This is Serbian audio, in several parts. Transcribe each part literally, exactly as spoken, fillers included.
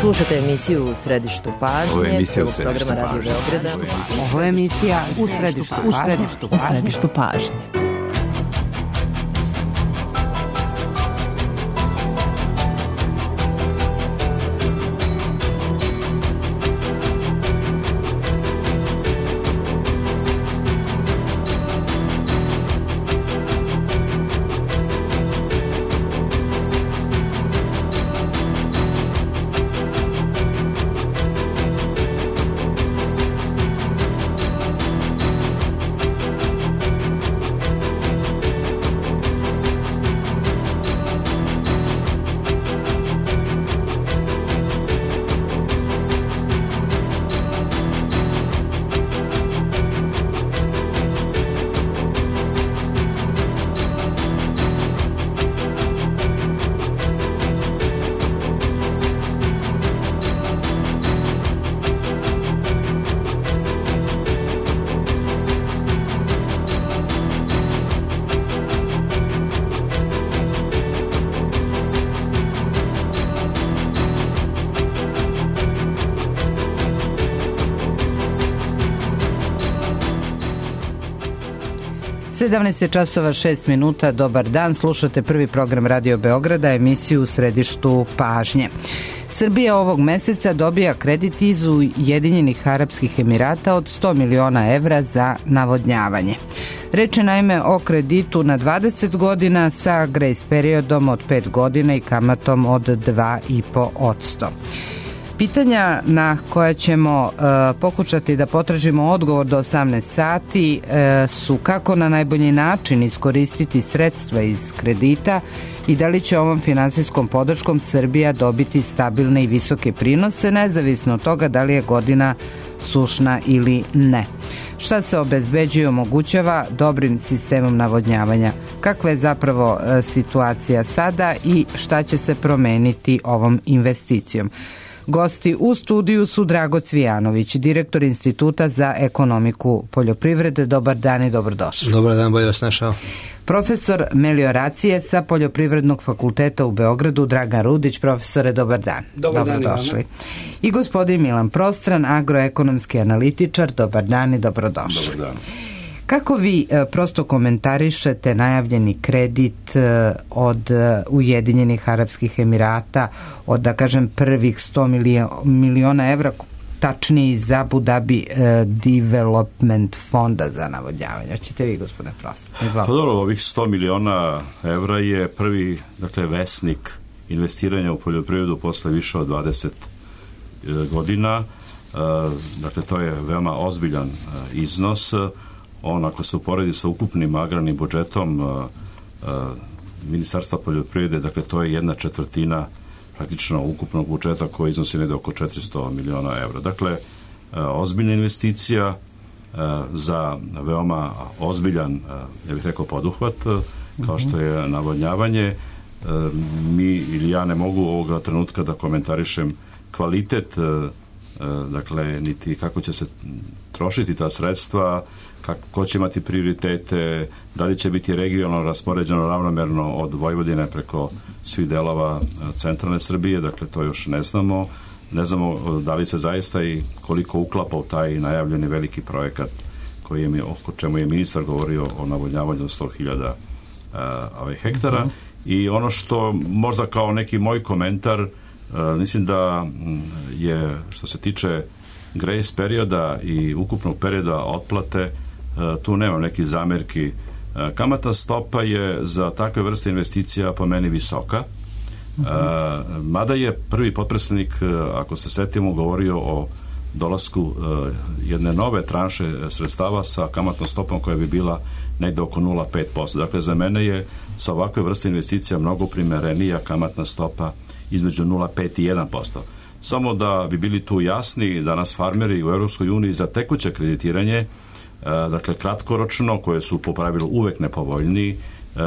Slušate emisiju U središtu pažnje. Ovo je emisija U središtu središtu pažnje. Ovo je emisija U središtu pažnje. U središtu pažnje. U središtu pažnje. sedamnaest časova šest minuta, dobar dan, slušate prvi program Radio Beograda, emisiju U središtu pažnje. Srbija ovog meseca dobija kredit iz Ujedinjenih Arapskih Emirata od sto miliona evra za navodnjavanje. Reč je naime o kreditu na dvadeset godina sa grace periodom od pet godina i kamatom od dva i po posto. Pitanja na koja ćemo e, pokušati da potražimo odgovor do osamnaest sati e, su kako na najbolji način iskoristiti sredstva iz kredita i da li će ovom finansijskom podrškom Srbija dobiti stabilne i visoke prinose, nezavisno od toga da li je godina sušna ili ne. Šta se obezbeđuje i omogućava dobrim sistemom navodnjavanja? Kakva je zapravo e, situacija sada i šta će se promeniti ovom investicijom? Gosti u studiju su Drago Cvijanović, direktor Instituta za ekonomiku poljoprivrede. Dobar dan i dobrodošli. Dobar dan, bolje vas našao. Profesor melioracije sa Poljoprivrednog fakulteta u Beogradu, Dragan Rudić. Profesore, dobar dan. Dobar dan, dobrodošli. I gospodin Milan Prostran, agroekonomski analitičar. Dobar dan i dobrodošli. Dobar dan. Kako vi prosto komentarišete najavljeni kredit od Ujedinjenih Arapskih Emirata od, da kažem, prvih sto miliona evra, tačniji za Abu Dhabi Development fonda za navodnjavanje? Hoćete vi, gospodine Prostan? Pa dobro, ovih sto miliona evra je prvi, dakle, vesnik investiranja u poljoprivredu posle više od dvadeset godina. Dakle, to je veoma ozbiljan iznos. On, ako se uporedi sa ukupnim agrarnim budžetom uh, uh, Ministarstva poljoprivrede, dakle to je jedna četvrtina praktično ukupnog budžeta koji iznosi negde oko četiristo miliona evra. Dakle, uh, ozbiljna investicija uh, za veoma ozbiljan, uh, ja bih rekao, poduhvat, uh, kao što je navodnjavanje. Uh, mi ili ja ne mogu ovoga trenutka da komentarišem kvalitet, uh, uh, dakle, niti kako će se trošiti ta sredstva, kako će imati prioritete, da li će biti regionalno raspoređeno ravnomerno od Vojvodine preko svih delova centralne Srbije, dakle to još ne znamo. Ne znamo da li se zaista i koliko uklapa u taj najavljeni veliki projekat koji je, o čemu je ministar govorio o navodnjavanju sto hiljada uh, hektara. Uh-huh. I ono što možda kao neki moj komentar, uh, mislim da je, što se tiče grace perioda i ukupnog perioda otplate, tu nema nekih zamerki. Kamatna stopa je za takve vrste investicija po meni visoka. Uh-huh. Mada je prvi potpredsednik, ako se setimo, govorio o dolasku jedne nove tranše sredstava sa kamatnom stopom koja bi bila negde oko nula zarez pet posto. Dakle, za mene je sa ovakve vrste investicija mnogo primerenija kamatna stopa između nula zarez pet i jedan posto. Samo da bi bili tu jasni, danas farmeri u Evropskoj uniji za tekuće kreditiranje, dakle kratkoročno, koje su po pravilu uvek nepovoljniji,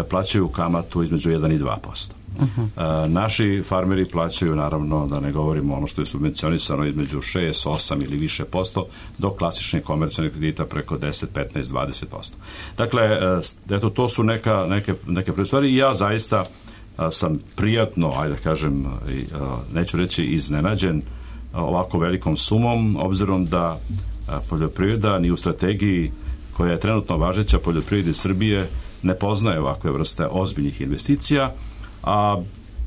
plaćaju kamatu između jedan i dva posto. Uh-huh. Naši farmeri plaćaju, naravno, da ne govorimo ono što je subvencionisano, između šest, osam ili više posto, do klasičnih komercijalnih kredita preko deset, petnaest, dvadeset posto. Dakle, eto, to su neka, neke, neke prve stvari i ja zaista sam prijatno, ajde da kažem, neću reći iznenađen ovako velikom sumom, obzirom da poljoprivreda ni u strategiji koja je trenutno važeća poljoprivredi Srbije ne poznaje ovakve vrste ozbiljnih investicija, a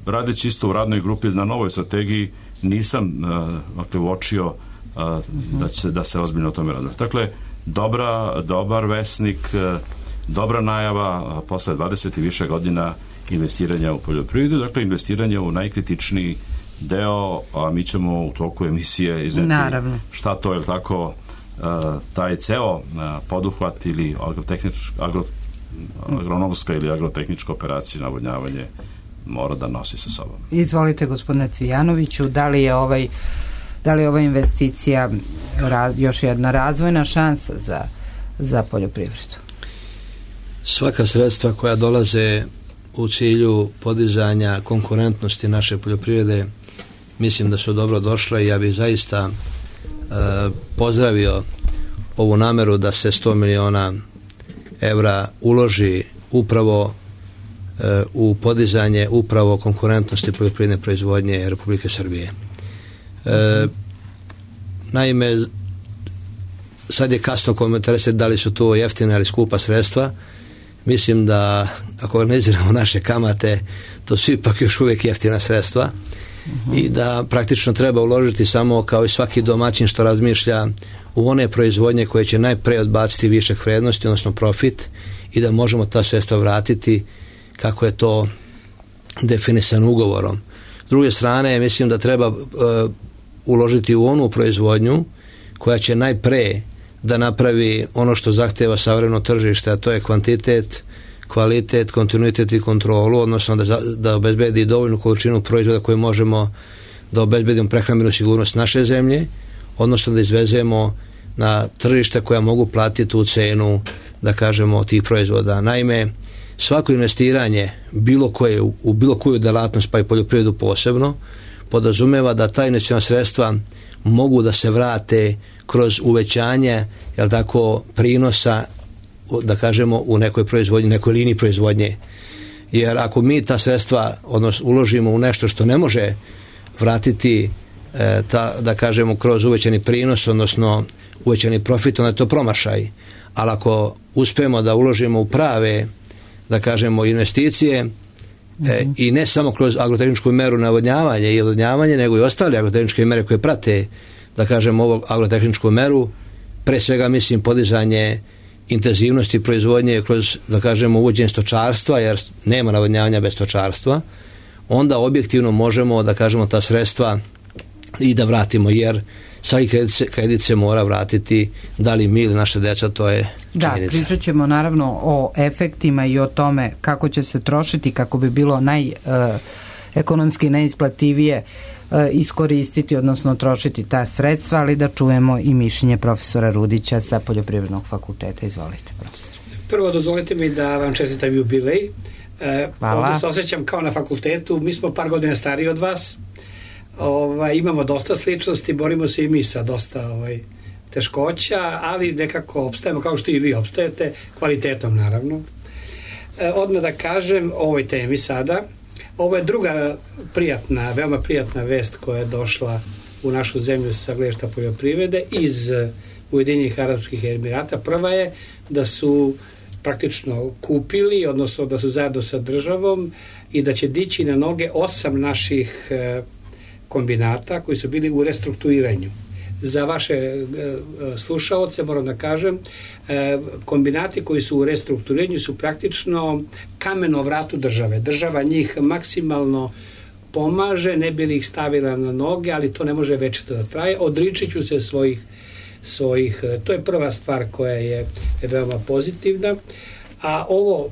radeći isto u radnoj grupi na novoj strategiji nisam dakle, uočio da, će, da se ozbiljno o tome radi. Dakle, dobra, dobar vesnik, dobra najava posle dvadeset i više godina investiranja u poljoprivredu, dakle investiranje u najkritičniji deo, a mi ćemo u toku emisije izneti šta to je tako taj ceo poduhvat ili agro, agronomska ili agrotehnička operacija navodnjavanje mora da nosi sa sobom. Izvolite, gospodine Cvijanoviću, da li je ovaj da li je ova investicija raz, još jedna razvojna šansa za, za poljoprivredu? Svaka sredstva koja dolaze u cilju podizanja konkurentnosti naše poljoprivrede mislim da su dobro došle i ja bih zaista e, pozdravio ovu nameru da se sto miliona evra uloži upravo e, u podizanje upravo konkurentnosti poljoprivredne proizvodnje Republike Srbije. E, naime, sad je kasno komentarisati da li su to jeftine ili skupa sredstva. Mislim da ako organiziramo naše kamate, to su ipak još uvijek jeftina sredstva uh-huh. i da praktično treba uložiti samo kao i svaki domaćin što razmišlja u one proizvodnje koje će najpre odbaciti višak vrednosti, odnosno profit, i da možemo ta sredstva vratiti kako je to definisano ugovorom. S druge strane, mislim da treba uh, uložiti u onu proizvodnju koja će najpre da napravi ono što zahteva savremeno tržište, a to je kvantitet, kvalitet, kontinuitet i kontrolu, odnosno da, da obezbedi dovoljnu količinu proizvoda koje možemo da obezbedimo prehrambenu sigurnost naše zemlje, odnosno da izvezemo na tržišta koja mogu platiti tu cenu, da kažemo, tih proizvoda. Naime, svako investiranje bilo koje, u bilo koju delatnost, pa i poljoprivredu posebno, podrazumeva da ta investiciona sredstva mogu da se vrate kroz uvećanje, jel tako, prinosa, da kažemo, u nekoj proizvodnji, nekoj liniji proizvodnje. Jer ako mi ta sredstva, odnosno, uložimo u nešto što ne može vratiti, e, ta, da kažemo, kroz uvećani prinos, odnosno uvećani profit, onda je to promašaj. Ali ako uspemo da uložimo u prave, da kažemo, investicije, mm-hmm. e, i ne samo kroz agrotehničku meru navodnjavanja i odvodnjavanje, nego i ostale agrotehničke mere koje prate, da kažem, ovog agrotehničku meru, pre svega mislim podizanje intenzivnosti proizvodnje kroz, da kažemo, uvođenje stočarstva, jer nema navodnjavanja bez stočarstva, onda objektivno možemo, da kažemo, ta sredstva i da vratimo, jer svaki kredit se, kredit se mora vratiti, da li mi ili naša deca, to je činjenica. Da, pričat ćemo naravno o efektima i o tome kako će se trošiti, kako bi bilo naj, uh, ekonomski najisplativije iskoristiti, odnosno trošiti ta sredstva, ali da čujemo i mišljenje profesora Rudića sa Poljoprivrednog fakulteta. Izvolite, profesor. Prvo dozvolite mi da vam čestitam jubilej. Hvala. Ovdje se osjećam kao na fakultetu, mi smo par godina stariji od vas, ovaj, imamo dosta sličnosti, borimo se i mi sa dosta ovaj, teškoća, ali nekako opstajemo kao što i vi opstajete, kvalitetom naravno. E, odmah da kažem o ovoj temi sada. Ovo je druga prijatna, veoma prijatna vest koja je došla u našu zemlju sa gledišta poljoprivrede iz Ujedinjenih Arapskih Emirata. Prva je da su praktično kupili, odnosno da su zajedno sa državom i da će dići na noge osam naših e, kombinata koji su bili u restrukturiranju. Za vaše e, slušaoce moram da kažem, e, kombinati koji su u restrukturiranju su praktično kameno vratu države. Država njih maksimalno pomaže, ne bi li ih stavila na noge, ali to ne može večito da traje. Odričit ću se svojih, svojih, to je prva stvar koja je veoma pozitivna. A ovo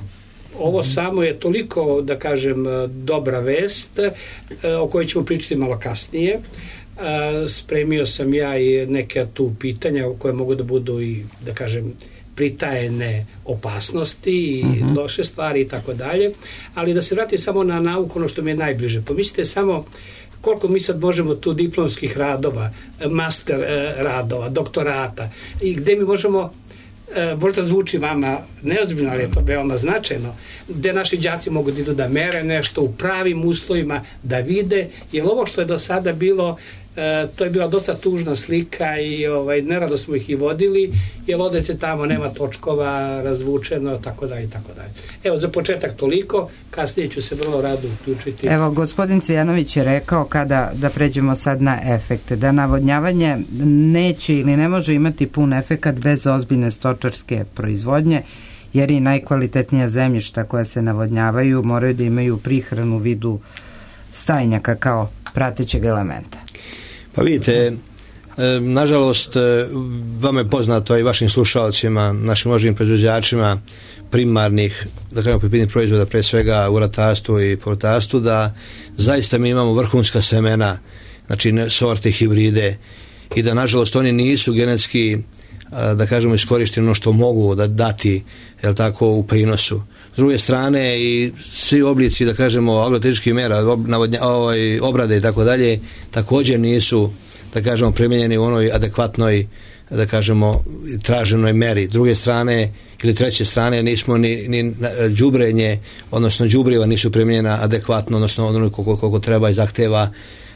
Ovo samo je toliko, da kažem, dobra vest o kojoj ćemo pričati malo kasnije. Spremio sam ja i neke tu pitanja koje mogu da budu i, da kažem, pritajene opasnosti i uh-huh. loše stvari i tako dalje, ali da se vrati samo na nauku, ono što mi je najbliže. Pomislite samo koliko mi sad možemo tu diplomskih radova, master radova, doktorata, i gde mi možemo možda zvuči vama neozbiljno, ali je to veoma značajno, gde naši đaci mogu da idu da mere nešto u pravim uslovima, da vide, jer ovo što je do sada bilo, e, to je bila dosta tužna slika i ovaj, nerado smo ih i vodili, jer odete tamo, nema točkova, razvučeno, tako da i tako dalje. Evo, za početak toliko, kasnije ću se vrlo rado uključiti. Evo, gospodin Cvijanović je rekao, kada da pređemo sad na efekte, da navodnjavanje neće ili ne može imati pun efekat bez ozbiljne stočarske proizvodnje, jer i najkvalitetnija zemljišta koja se navodnjavaju moraju da imaju prihranu u vidu stajnjaka kao pratećeg elementa. Pa vidite, nažalost, vama je poznato i vašim slušalcima, našim možnim proizvođačima primarnih, da kažemo poljoprivrednih proizvoda, pre svega u ratarstvu i povrtarstvu, da zaista mi imamo vrhunska semena, znači sorte, hibride, i da nažalost oni nisu genetski, da kažemo, iskorišteni ono što mogu da dati, jel tako, u prinosu. S druge strane, i svi oblici, da kažemo, agrotehničkih mera, ob, navodnja, ovaj, obrade i tako dalje, također nisu, da kažemo, primijenjeni u onoj adekvatnoj, da kažemo, traženoj meri. S druge strane, ili treće strane, nismo ni, ni đubrenje, odnosno đubriva nisu primijenjena adekvatno, odnosno ono koliko, koliko treba i zahteva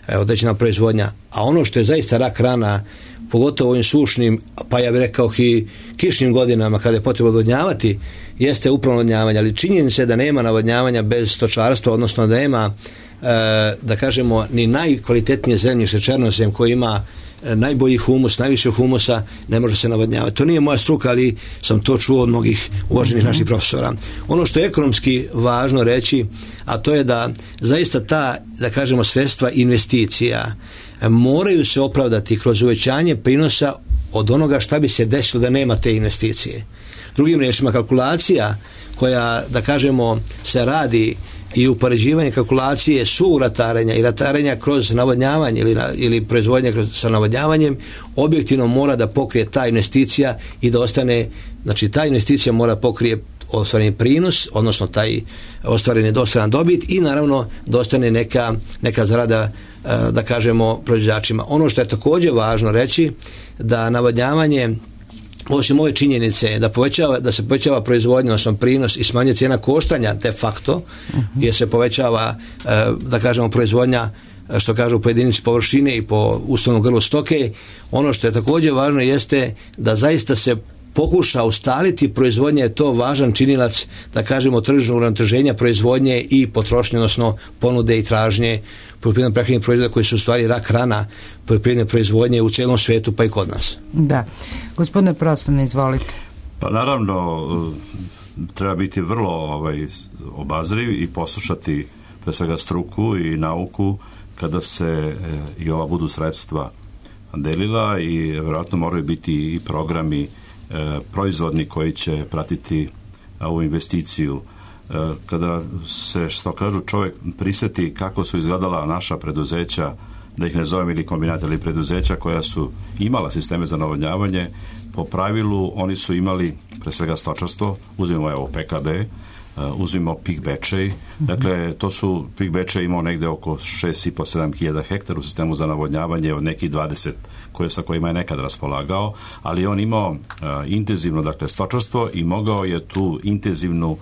određena proizvodnja. A ono što je zaista rak rana, pogotovo ovim sušnim, pa ja bih rekao i kišnim godinama kada je potrebno odvodnjavati, jeste upravo navodnjavanje, ali činjenica je da nema navodnjavanja bez stočarstva, odnosno da nema, e, da kažemo, ni najkvalitetnije zemljište, černozem, koji ima najbolji humus, najviše humusa, ne može se navodnjavati. To nije moja struka, ali sam to čuo od mnogih uvaženih naših profesora. Ono što je ekonomski važno reći, a to je da zaista ta, da kažemo, sredstva investicija moraju se opravdati kroz uvećanje prinosa od onoga šta bi se desilo da nema te investicije. Drugim riječima, kalkulacija koja, da kažemo, se radi i upoređivanje kalkulacije su ratarenja i ratarenja kroz navodnjavanje ili, ili proizvodnje kroz, sa navodnjavanjem, objektivno mora da pokrije ta investicija i da ostane, znači ta investicija mora pokrije ostvareni prinos, odnosno taj ostvareni dostatan dobit i naravno da ostane neka, neka zarada, da kažemo, proizvođačima. Ono što je također važno reći, da navodnjavanje, osim ove činjenice da, povećava, da se povećava proizvodnja, odnosno prinos i smanjuje cijena koštanja de facto, uh-huh. jer se povećava, da kažemo, proizvodnja, što kažu, po jedinici površine i po uslovnom grlu stoke. Ono što je također važno jeste da zaista se pokuša ustaliti proizvodnje, je to važan činilac, da kažemo, tržišnog uravnoteženja proizvodnje i potrošnje, odnosno ponude i tražnje poljoprivredno prehrambenih proizvoda koji su u stvari rak rana poljoprivredne proizvodnje u cijelom svijetu, pa i kod nas. Da. Gospodine Prostorni, izvolite. Pa naravno, treba biti vrlo ovaj, obazriv i poslušati pre svega struku i nauku kada se e, i ova budu sredstva delila, i vjerojatno moraju biti i programi e, proizvodni koji će pratiti ovu investiciju. E, kada se, što kažu, čovjek prisjeti kako su izgledala naša preduzeća, da ih ne zovem ili kombinata, ili preduzeća koja su imala sisteme za navodnjavanje, po pravilu oni su imali pre svega stočarstvo, uzmimo evo P K B, Uh, uzmimo Pik Bečej, mm-hmm. dakle to su, Pik Bečej imao negde oko šest i po sedam hiljada hektara u sistemu za navodnjavanje od nekih dvadeset koje, sa kojima je nekad raspolagao, ali on imao uh, intenzivno, dakle, stočarstvo i mogao je tu intenzivnu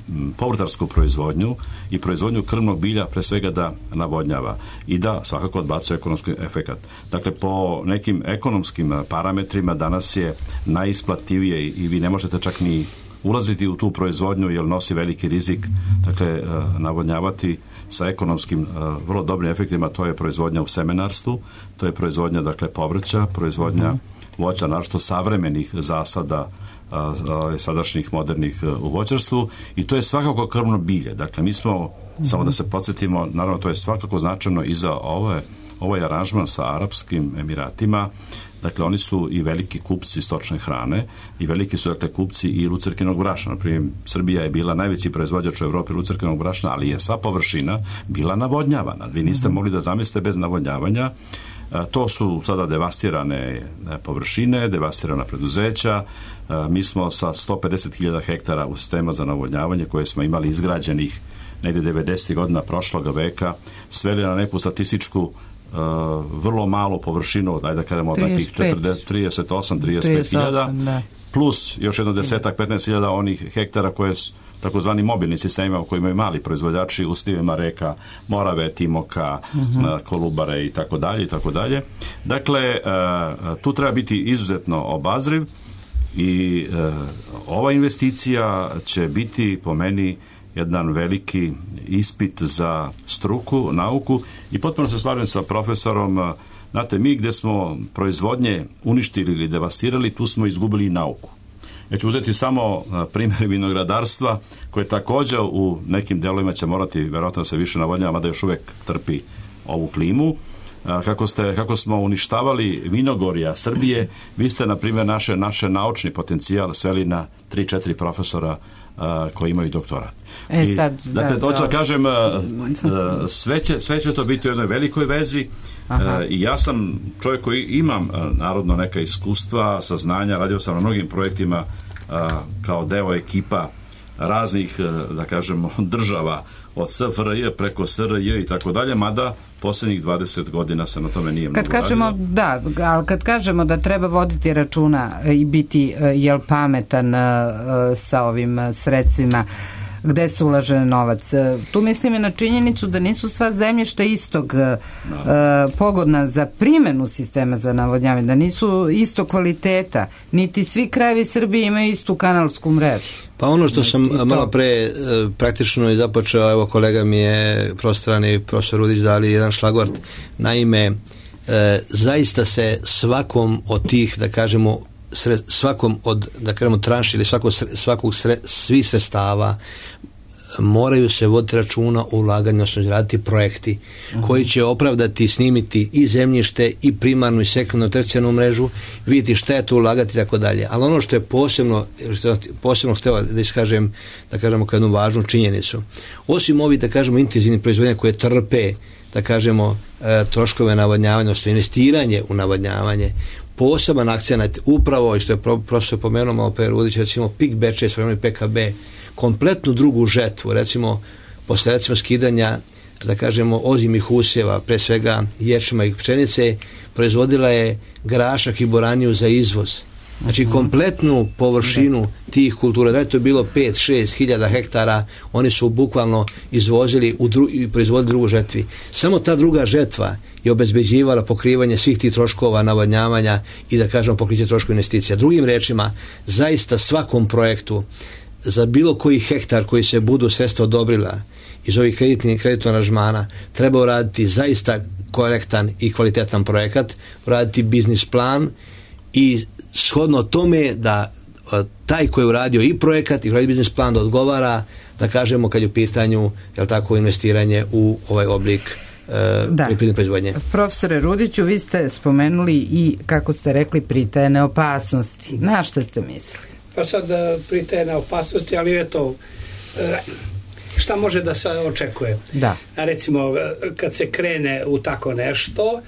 m, povrtarsku proizvodnju i proizvodnju krmnog bilja pre svega da navodnjava i da svakako odbacuje ekonomski efekat. Dakle, po nekim ekonomskim parametrima danas je najisplativije i vi ne možete čak ni ulaziti u tu proizvodnju jer nosi veliki rizik, dakle navodnjavati sa ekonomskim vrlo dobrim efektima. To je proizvodnja u semenarstvu, to je proizvodnja, dakle, povrća, proizvodnja mm-hmm. voća, naročito savremenih zasada a, a, sadašnjih modernih u voćarstvu, i to je svakako krmno bilje. Dakle, mi smo, mm-hmm. samo da se podsjetimo, naravno to je svakako značajno i za ove, ovaj aranžman sa Arapskim Emiratima. Dakle, oni su i veliki kupci stočne hrane i veliki su, dakle, kupci i lucerkinog brašna. Naprimjer, Srbija je bila najveći proizvođač u Evropi lucerkinog brašna, ali je sva površina bila navodnjavana. Vi niste mogli da zamislite bez navodnjavanja. To su sada devastirane površine, devastirana preduzeća. Mi smo sa sto pedeset hiljada hektara u sistema za navodnjavanje koje smo imali izgrađenih negdje devedesetih godina prošloga veka sveli na neku statističku Uh, vrlo malu površinu, ajde da kažemo od nekih trideset osam do trideset pet hiljada, plus još jedno desetak, petnaest hiljada onih hektara koje su takozvani mobilni sistemima u kojima imaju mali proizvođači u slivima reka, Morave, Timoka, uh-huh. Kolubare i tako dalje i tako dalje. Dakle, tu treba biti izuzetno obazriv i ova investicija će biti po meni jedan veliki ispit za struku, nauku i potpuno se slažem sa profesorom. Znate, mi gdje smo proizvodnje uništili ili devastirali, tu smo izgubili i nauku. Ja ću uzeti samo primjer vinogradarstva, koje također u nekim delovima će morati vjerojatno se više navodnjava, mada još uvijek trpi ovu klimu. Kako, ste, kako smo uništavali vinogorja Srbije, vi ste, na primjer, naše, naše naučni potencijal sveli na tri četiri profesora a, koji imaju doktorat. E, sad, I, dakle, da, hoću da da kažem, a, a, sve, će, sve će to biti u jednoj velikoj vezi. A, i ja sam čovjek koji imam a, narodno neka iskustva, saznanja, radio sam na mnogim projektima a, kao deo ekipa raznih, a, da kažemo, država, od S F R J preko S R J i tako dalje, mada posljednjih dvadeset godina se na tome nije mnogo kad kažemo, radilo. Da, ali kad kažemo da treba voditi računa i biti jel pametan sa ovim sredstvima gde se ulaže novac. Tu mislim i na činjenicu da nisu sva zemljišta istog no. pogodna za primjenu sistema za navodnjavanje, da nisu isto kvaliteta, niti svi krajevi Srbije imaju istu kanalsku mrežu. Pa ono što sam malo pre praktično i započeo, evo kolega mi je prostrani profesor Rudić dali jedan šlagvort. Naime, e, zaista se svakom od tih, da kažemo, sre, svakom od, da kažemo, tranši ili svakog, svakog sre, svih sredstava moraju se voditi računa o ulaganju, odnosno raditi projekti uh-huh. koji će opravdati, snimiti i zemljište i primarnu i sekundarnu tercijarnu mrežu, vidjeti šta je to ulagati i tako dalje. Ali ono što je posebno, posebno hteo da iskažem, da kažemo kao jednu važnu činjenicu, osim ovih, da kažemo, intenzivnih proizvodnja koje trpe, da kažemo, e, troškove navodnjavanja, odnosno investiranje u navodnjavanje, poseban akcenat upravo, i što je profesor pomenuo malo pre Rudić, recimo Pik Bečej, spremno P K B, kompletnu drugu žetvu, recimo posle recimo skidanja, da kažemo, ozimih usjeva, pre svega ječma i pšenice, proizvodila je grašak i boraniju za izvoz. Znači kompletnu površinu tih kultura, da je to bilo pet šest hiljada hektara, oni su bukvalno izvozili u dru, i proizvodili drugu žetvi. Samo ta druga žetva je obezbeđivala pokrivanje svih tih troškova navodnjavanja i, da kažemo, pokriće troškova investicija. Drugim rečima, zaista svakom projektu za bilo koji hektar koji se budu sredstva odobrila iz ovih kreditnih kreditnih aranžmana treba uraditi zaista korektan i kvalitetan projekat, uraditi biznis plan i shodno tome da taj koji je uradio i projekat i uradio biznis plan da odgovara, da kažemo, kad je u pitanju, jel tako, investiranje u ovaj oblik poljoprivredne proizvodnje. Profesore Rudiću, vi ste spomenuli i, kako ste rekli, pritajene opasnosti. Na šta ste mislili? Pa sad pritajene opasnosti, ali eto, šta može da se očekuje? Da. Recimo, kad se krene u tako nešto,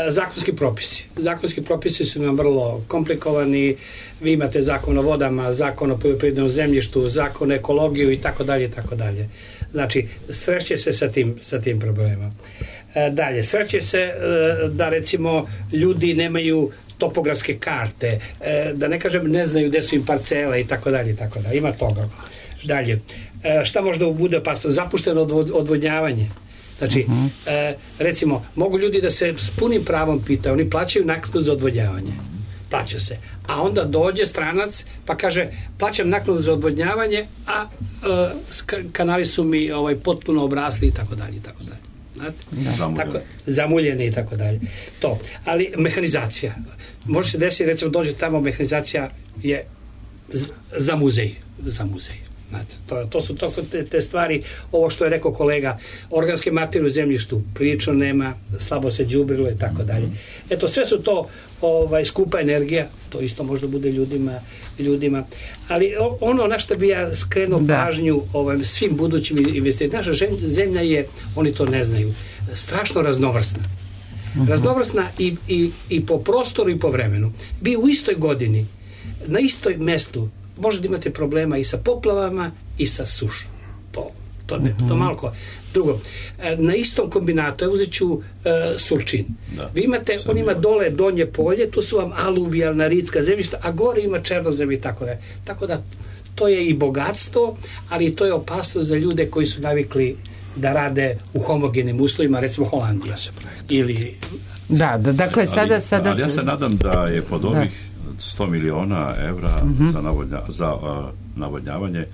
zakonski propisi. Zakonski propisi su nam vrlo komplikovani. Vi imate zakon o vodama, zakon o poljoprivrednom zemljištu, zakon o ekologiju i tako dalje i tako dalje. Znači, sreće se sa tim, sa tim problemima. Dalje, sreće se da, recimo, ljudi nemaju topografske karte, da ne kažem ne znaju gde su im parcele i tako dalje i tako dalje. Ima toga. Dalje, šta možda bude opasno? Zapušteno odvodnjavanje. Znači, uh-huh. recimo, mogu ljudi da se s punim pravom pitaju, oni plaćaju naknadu za odvodnjavanje. Plaća se. A onda dođe stranac pa kaže, plaćam naknadu za odvodnjavanje, a uh, kanali su mi ovaj, potpuno obrasli i tako dalje i tako dalje. Znate? Tako, zamuljeni i tako dalje. To. Ali mehanizacija. Može se desiti, recimo, dođe tamo, mehanizacija je za muzej. Za muzej. Znate, to, to su to, te, te stvari, ovo što je rekao kolega, organske materije u zemljištu prilično nema, slabo se đubrilo i tako dalje. Eto, sve su to ovaj, skupa energija, to isto možda bude ljudima, ljudima. Ali ono na što bi ja skrenuo da. pažnju ovaj, svim budućim investitorima, naša zemlja je, oni to ne znaju, strašno raznovrsna. Raznovrsna i, i, i po prostoru i po vremenu. Bi u istoj godini, na istoj mestu, možda imate problema i sa poplavama i sa sušom. To, To, ne, to malo ko. Drugo, na istom kombinatu, ja uzet ću uh, Surčin. Da. Vi imate, on ima dole donje polje, tu su vam aluvijalna ritska zemljišta, a gore ima černozem i tako da. Tako da, to je i bogatstvo, ali to je opasnost za ljude koji su navikli da rade u homogenim uslovima, recimo Holandija. Ili... Da, da, dakle, sada... Ali, sada... ali ja se nadam da je pod ovih sto miliona evra uh-huh. za, navodnja, za uh, navodnjavanje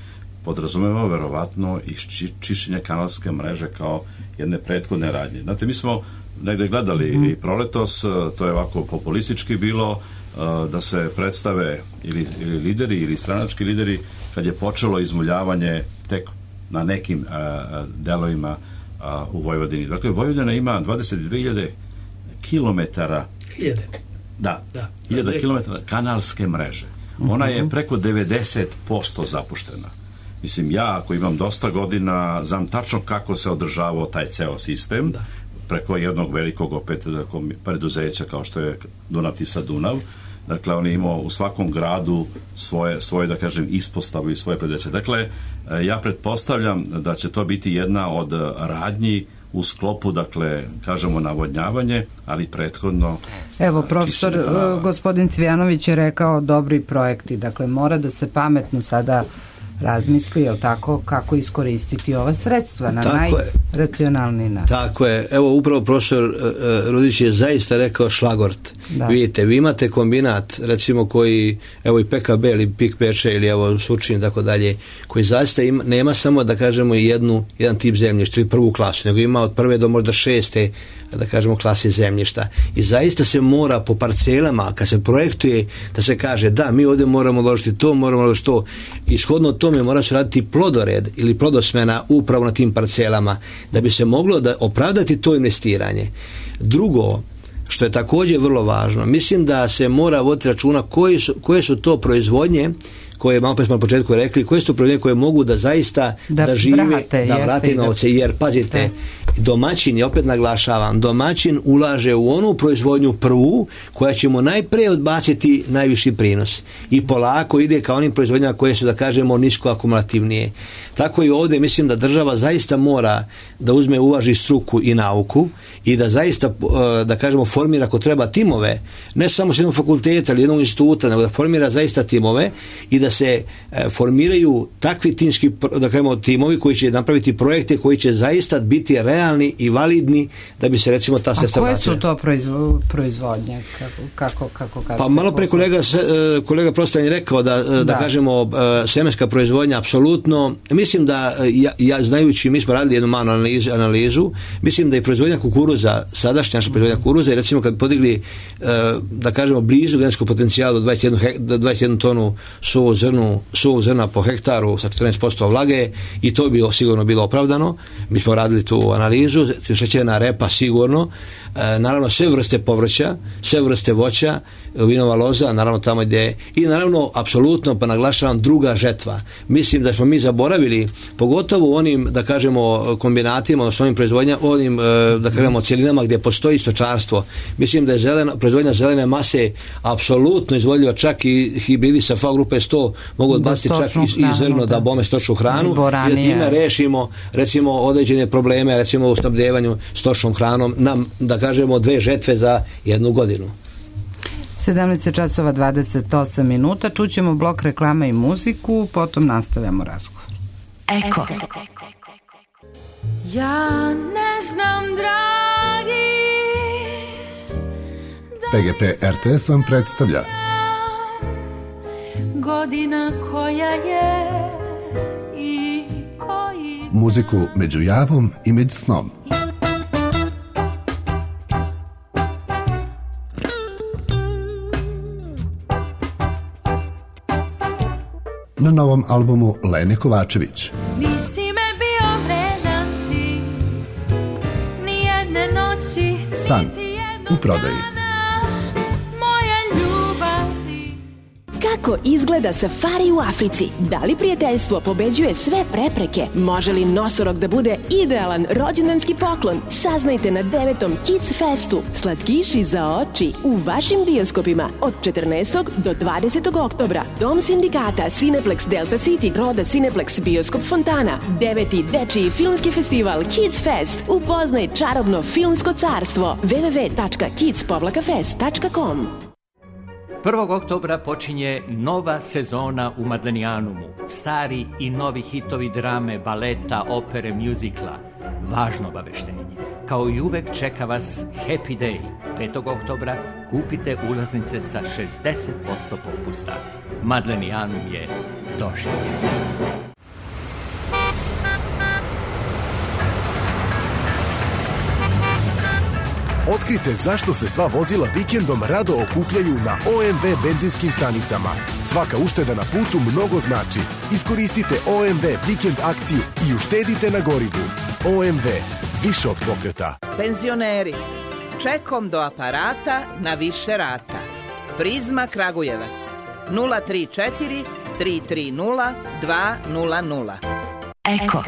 podrazumeva verovatno i či, čišćenje kanalske mreže kao jedne prethodne radnje. Znate, mi smo negde gledali uh-huh. i proletos, to je ovako populistički bilo, uh, da se predstave ili, ili lideri ili stranački lideri kad je počelo izmuljavanje tek na nekim uh, delovima uh, u Vojvodini. Dakle, Vojvodina ima dvadeset dve hiljade kilometara hiljade da, da. hiljada kilometara kanalske mreže. Ona je preko devedeset posto zapuštena. Mislim, ja ako imam dosta godina, znam tačno kako se održavao taj ceo sistem, da. Preko jednog velikog opet preduzeća kao što je Dunav Tisa Dunav. Dakle, on je imao u svakom gradu svoje, svoje da kažem, ispostavu i svoje preduzeće. Dakle, ja pretpostavljam da će to biti jedna od radnji u sklopu, dakle, kažemo navodnjavanje, ali prethodno... Evo, profesor gospodin Cvijanović je rekao dobri projekti, dakle, mora da se pametno sada razmisli, jel tako, kako iskoristiti ova sredstva na najracionalniji način. Tako je. Evo, upravo profesor uh, Rudić je zaista rekao šlagort. Da. Vidite, vi imate kombinat, recimo koji, evo i P K B ili Pik Peče ili evo Surčin i tako dalje, koji zaista ima, nema samo da kažemo jednu, jedan tip zemljišta ili prvu klasu, nego ima od prve do možda šeste da kažemo klase zemljišta. I zaista se mora po parcelama, kad se projektuje, da se kaže da, mi ovdje moramo uložiti to, moramo uložiti to. I shodno tome mora se raditi plodored ili plodosmena upravo na tim parcelama, da bi se moglo da opravdati to investiranje. Drugo, što je također vrlo važno, mislim da se mora voditi računa koji su, koje su to proizvodnje koje, malo pre smo na početku rekli, koje su proizvodnje koje mogu da zaista da, da žive, vrate, da vrate novce, jer pazite, domaćin, ja opet naglašavam, domaćin ulaže u onu proizvodnju prvu koja će mu najprije odbaciti najviši prinos i polako ide ka onim proizvodnjama koje su, da kažemo, nisko akumulativnije. Tako i ovdje mislim da država zaista mora da uzme, uvaži struku i nauku i da zaista, da kažemo, formira ako treba timove, ne samo s jednog fakulteta ili jednog instituta, nego da formira zaista timove i da se formiraju takvi timski, da kažemo, timovi koji će napraviti projekte koji će zaista biti realni i validni da bi se, recimo, ta sredstva vratila. A koje su to proizvo, proizvodnje? Kako, kako, kako, pa malo pre kolega, kolega Prostan je rekao da, da. da kažemo, semenska proizvodnja apsolutno. Mislim da, ja, ja znajući, mi smo radili jednu malu analizu, analizu, mislim da je proizvodnja kukuruza, sadašnja naša proizvodnja kukuruza, i recimo kad bi podigli, da kažemo, blizu genetskog potencijala do dvadeset jednu, do dvadeset jednu tonu suvog zrnu, suvog zrna po hektaru sa četrnaest posto vlage, i to bi sigurno bilo opravdano. Mi smo radili tu analizu, šećerna repa sigurno, e, naravno sve vrste povrća, sve vrste voća, vinova loza, naravno tamo gdje, i naravno apsolutno, pa naglašavam, druga žetva. Mislim da smo mi zaboravili, pogotovo u onim, da kažemo, kombinatima, odnosno onim proizvodnja, onim, da kažemo, cjelinama gdje postoji stočarstvo. Mislim da je zelena, proizvodnja zelene mase apsolutno izvodljiva, čak i hibridi sa F A grupe sto mogu odbaciti čak i, i zrno da bome stočnu hranu i da time rešimo, recimo, određene probleme, recimo u snabdevanju stočnom hranom, nam, da kažemo, dve žetve za jednu godinu. sedamnaest časova dvadeset osam minuta, čućemo blok reklama i muziku, potom nastavljamo razgovor. Eko. Ja ne znam, dragi, P G P R T S vam predstavlja godina koja je i koji... muziku među javom i među snom. Na novom albumu Lene Kovačević. Nisi me bio vredan ti, ni jedne noći, San u prodaji. moja ljubavi. Kako Kako izgleda safari u Africi? Da li prijateljstvo pobeđuje sve prepreke? Može li nosorog da bude idealan rođendanski poklon? Saznajte na devetom Kids Festu. Slatkiši za oči u vašim bioskopima od četrnaestog do dvadesetog oktobra. Dom sindikata, Cineplex Delta City, Roda Cineplex, Bioskop Fontana. Deveti dečiji filmski festival Kids Fest. Upoznaj čarobno filmsko carstvo. w w w tačka kids fest tačka com. prvog oktobra počinje nova sezona u Madlenijanumu. Stari i novi hitovi drame, baleta, opere, mjuzikla. Važno obaveštenje. Kao i uvek čeka vas Happy Day. petog oktobra kupite ulaznice sa šezdeset posto popusta. Madlenijanum je doživljen. Otkrite zašto se sva vozila vikendom rado okupljaju na O M V benzinskim stanicama. Svaka ušteda na putu mnogo znači. Iskoristite O M V vikend akciju i uštedite na gorivu. O M V, više od pokreta. Penzioneri, čekom do aparata na više rata. Prizma Kragujevac, nula tri četiri tri tri nula dva nula nula. Eko.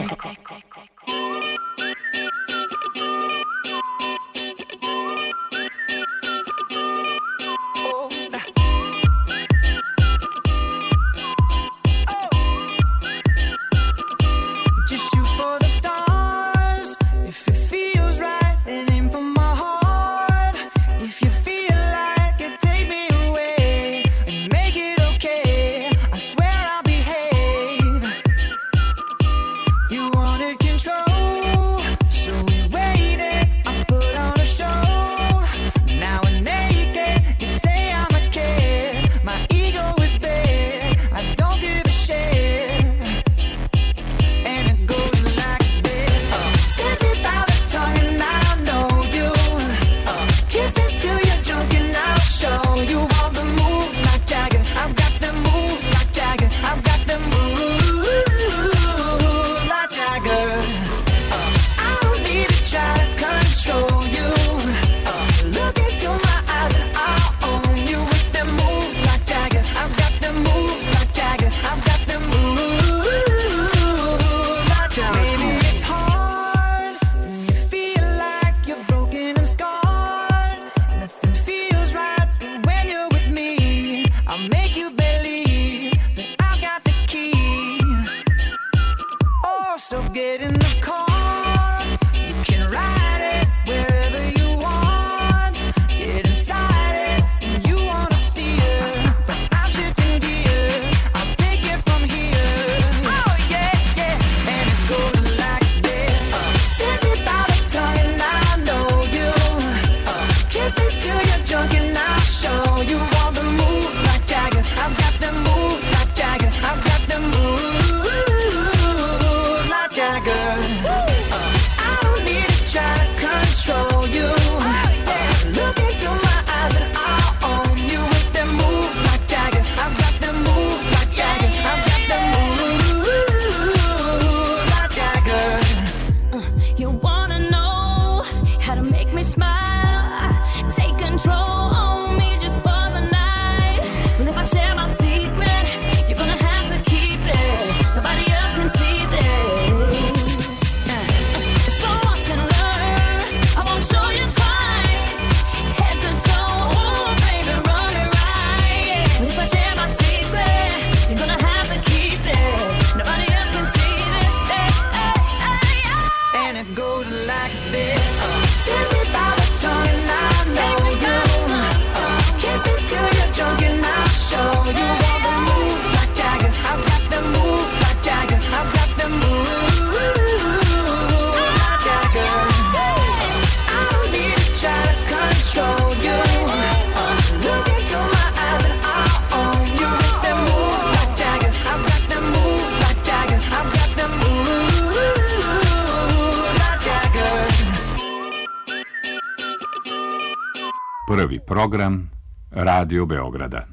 Prvi program Radio Beograda.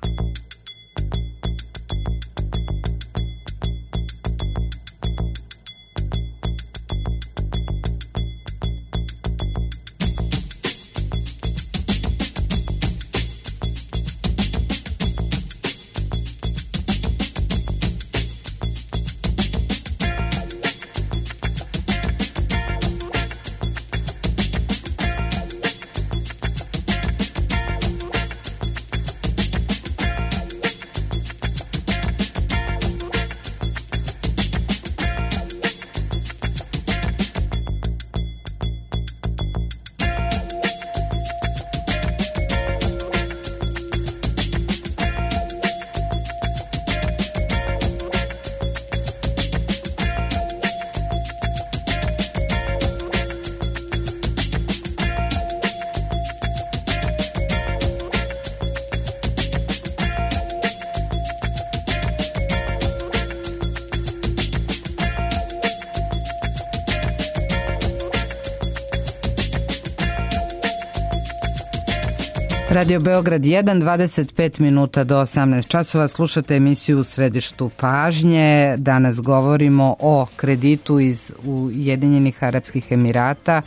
Radio Beograd jedan, dvadeset pet minuta do osamnaest časova. Slušate emisiju U središtu pažnje. Danas govorimo o kreditu iz Ujedinjenih Arapskih Emirata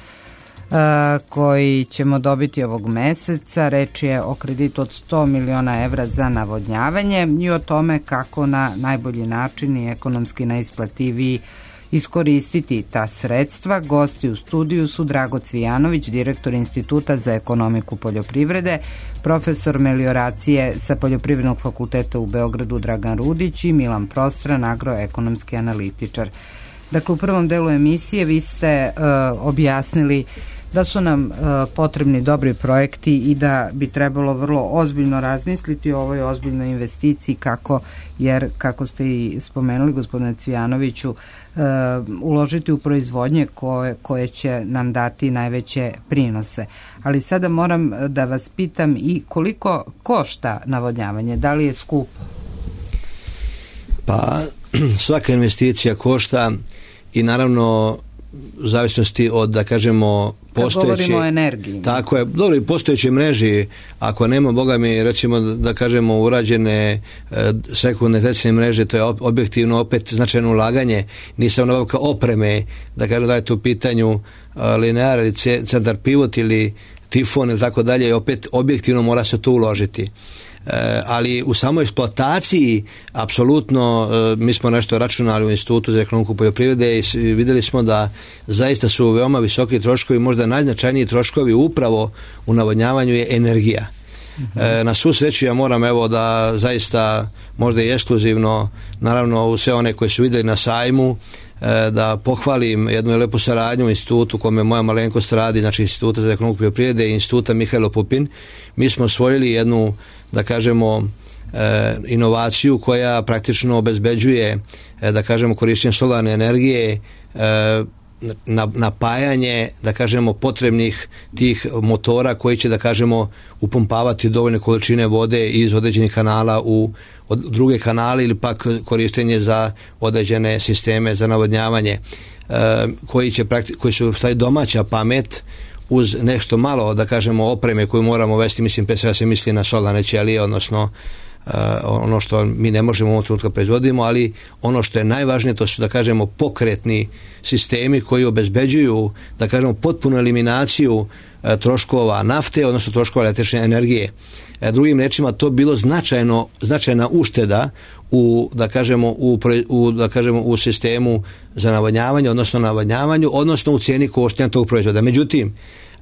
koji ćemo dobiti ovog meseca. Reč je o kreditu od sto miliona evra za navodnjavanje i o tome kako na najbolji način i ekonomski najisplativiji iskoristiti ta sredstva. Gosti u studiju su Drago Cvijanović, direktor Instituta za ekonomiku poljoprivrede, profesor melioracije sa Poljoprivrednog fakulteta u Beogradu Dragan Rudić i Milan Prostran, agroekonomski analitičar. Dakle, u prvom delu emisije vi ste uh, objasnili da su nam uh, potrebni dobri projekti i da bi trebalo vrlo ozbiljno razmisliti o ovoj ozbiljnoj investiciji, kako, jer kako ste i spomenuli, gospodine Cvijanoviću, uh, uložiti u proizvodnje koje, koje će nam dati najveće prinose. Ali sada moram da vas pitam i koliko košta navodnjavanje, da li je skupo? Pa svaka investicija košta i naravno u zavisnosti od, da kažemo, postojeće, kad govorimo o energiji. Tako je, dobro, i postojeće mreži, ako nema, boga mi, recimo, da kažemo, urađene e, sekundarne tercijarne mreže, to je objektivno opet značajno ulaganje, nisam nabavka opreme, da kažem da je tu u pitanju e, linear ili centar pivot ili tifon ili tako dalje, opet objektivno mora se to uložiti. E, ali u samoj eksploataciji apsolutno, e, mi smo nešto računali u Institutu za ekonomiku poljoprivrede i vidjeli smo da zaista su veoma visoki troškovi, možda najznačajniji troškovi upravo u navodnjavanju je energija. E, na svu sreću ja moram evo da zaista možda i ekskluzivno, naravno u sve one koje su vidjeli na sajmu, e, da pohvalim jednu lepu saradnju u institutu kome moja malenkost radi, znači Instituta za ekonomiku poljoprivrede i Instituta Mihajlo Pupin. Mi smo osvojili jednu, da kažemo, e, inovaciju koja praktično obezbeđuje, e, da kažemo, korištenje solarne energije, e, na, napajanje, da kažemo, potrebnih tih motora koji će, da kažemo, upumpavati dovoljne količine vode iz određenih kanala u od druge kanale ili pak korištenje za određene sisteme za navodnjavanje, e, koji, će prakti, koji su taj domaća pamet uz nešto malo, da kažemo, opreme koju moramo vesti, mislim, pre svega se misli na solarne ćelije, odnosno uh, ono što mi ne možemo u ovom trenutku proizvodimo, ali ono što je najvažnije, to su, da kažemo, pokretni sistemi koji obezbeđuju, da kažemo, potpunu eliminaciju uh, troškova nafte, odnosno troškova električne energije. Uh, drugim rečima, to bilo značajno, značajna ušteda u, da kažemo, u, u, da kažemo, u sistemu za navodnjavanje, odnosno navodnjavanju, odnosno u cijeni koštanja tog proizvoda. Međutim,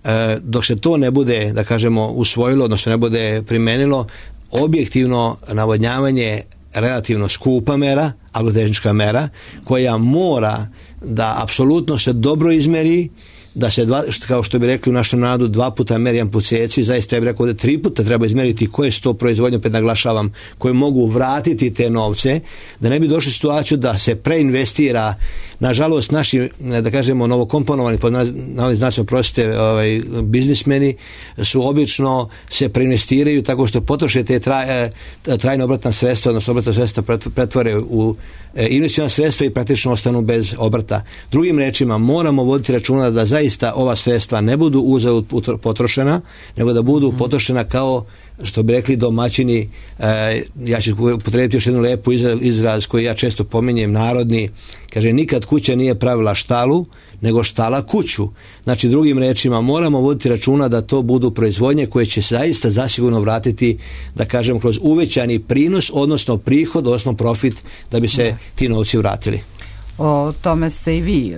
e, dok se to ne bude, da kažemo, usvojilo, odnosno ne bude primenilo, objektivno navodnjavanje relativno skupa mera, agrotehnička mera, koja mora da apsolutno se dobro izmeri, da se, dva, kao što bi rekli u našem narodu, dva puta meri, jedan put sjeci, zaista ja bih rekao da tri puta treba izmeriti koje su to proizvodnje, opet naglašavam, koje mogu vratiti te novce, da ne bi došli u situaciju da se preinvestira. Nažalost, naši, da kažemo, novokomponovani, pod znacima prosite, ovaj, biznismeni su obično se preinvestiraju tako što potroše te traj, trajne obratna sredstva, odnosno obratna sredstva pretvore u investiciona sredstva i praktično ostanu bez obrta. Drugim rečima, moramo voditi računa da zaista ova sredstva ne budu uzalud potrošena, nego da budu potrošena kao, što bi rekli domaćini, e, ja ću potrebiti još jednu lepu izraz koji ja često pominjem, narodni, kaže, nikad kuća nije pravila štalu, nego štala kuću. Znači, drugim rečima, moramo voditi računa da to budu proizvodnje koje će zaista zasigurno vratiti, da kažem, kroz uvećani prinos, odnosno prihod, odnosno profit, da bi se ti novci vratili. O tome ste i vi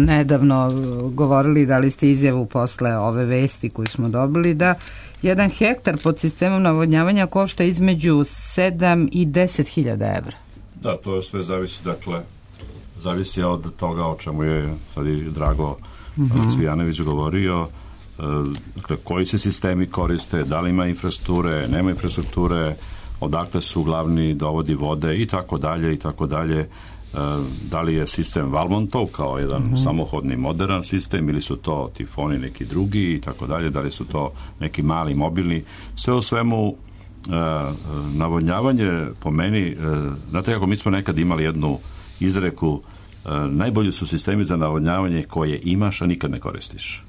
nedavno govorili, dali ste izjavu posle ove vesti koju smo dobili, da jedan hektar pod sistemom navodnjavanja košta između sedam i deset hiljada evra. Da, to sve zavisi, dakle, zavisi od toga o čemu je sad i Drago mm-hmm. Cvijanović govorio, dakle, koji se sistemi koriste, da li ima infrastrukture, nema infrastrukture, odakle su glavni dovodi vode i tako dalje i tako dalje. Da li je sistem Valmontov kao jedan mm-hmm. samohodni modern sistem ili su to tifoni neki drugi i tako dalje, da li su to neki mali mobilni. Sve u svemu uh, navodnjavanje po meni, uh, znate kako mi smo nekad imali jednu izreku, uh, najbolji su sistemi za navodnjavanje koje imaš, a nikad ne koristiš.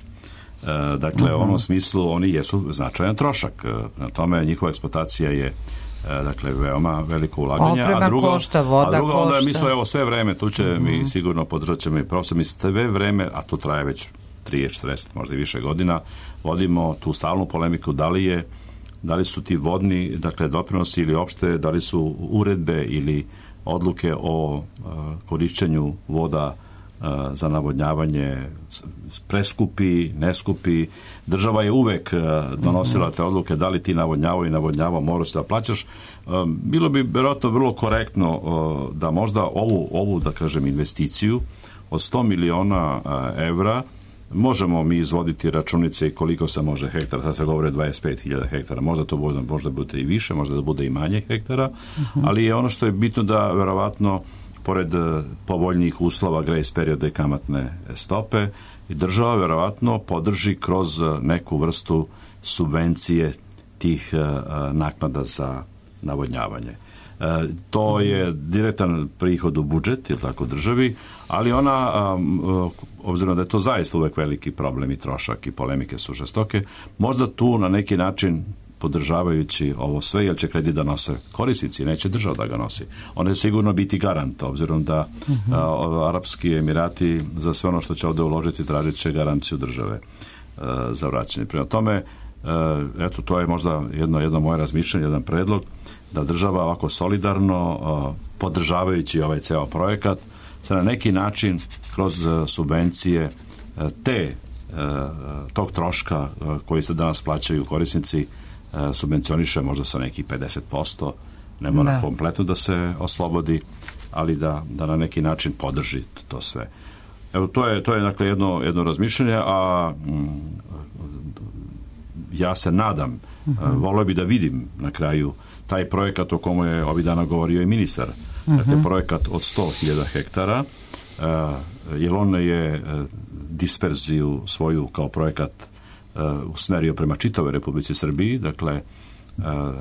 Dakle, uh-huh. u onom smislu oni jesu značajan trošak. Na tome njihova eksploatacija je dakle veoma veliko ulaganje. Oprema a drugo, košta, voda a drugo, košta. Onda mi smo evo sve vreme, tu će uh-huh. mi sigurno podržat ćemo i profesor, mi sve vreme, a to traje već trideset četrdeset možda i više godina, vodimo tu stalnu polemiku da li je da li su ti vodni, dakle, doprinosi ili opšte, da li su uredbe ili odluke o uh, korišćenju voda uh, za navodnjavanje preskupi, neskupi. Država je uvek uh, donosila te odluke da li ti navodnjavao i navodnjavao moraš da plaćaš. Um, bilo bi vjerojatno vrlo korektno uh, da možda ovu, ovu, da kažem, investiciju od sto miliona uh, evra možemo mi izvoditi računice i koliko se može hektara, sad se govore dvadeset pet hiljada hektara, možda to bude, možda bude i više, možda da bude i manje hektara, uh-huh. ali je ono što je bitno da verovatno pored povoljnijih uslova, grace perioda i kamatne stope, i država verovatno podrži kroz neku vrstu subvencije tih uh, naknada za navodnjavanje. E, to je direktan prihod u budžet, je tako, državi, ali ona, um, obzirom da je to zaista uvek veliki problem i trošak i polemike su žestoke, možda tu na neki način podržavajući ovo sve, jer će kredit da nose korisnici, neće država da ga nosi. Ona je sigurno biti garant, obzirom da uh-huh. a, Arapski Emirati za sve ono što će ovde uložiti tražit će garanciju države a, za vraćanje. Prema tome, a, eto, to je možda jedno, jedno moje razmišljanje, jedan predlog, da država ovako solidarno, a, podržavajući ovaj ceo projekat, se na neki način kroz a, subvencije a, te a, tog troška a, koji se danas plaćaju korisnici subvencioniše možda sa nekih pedeset posto, ne mora da. kompletno da se oslobodi, ali da, da na neki način podrži to sve. Evo, to je, to je dakle jedno, jedno razmišljanje, a mm, ja se nadam, uh-huh. volio bi da vidim na kraju taj projekat o komu je ovih dana govorio i ministar, uh-huh. dakle projekat od sto hiljada hektara, uh, jer on je uh, disperziju svoju kao projekat usmerio prema čitavoj Republici Srbiji, dakle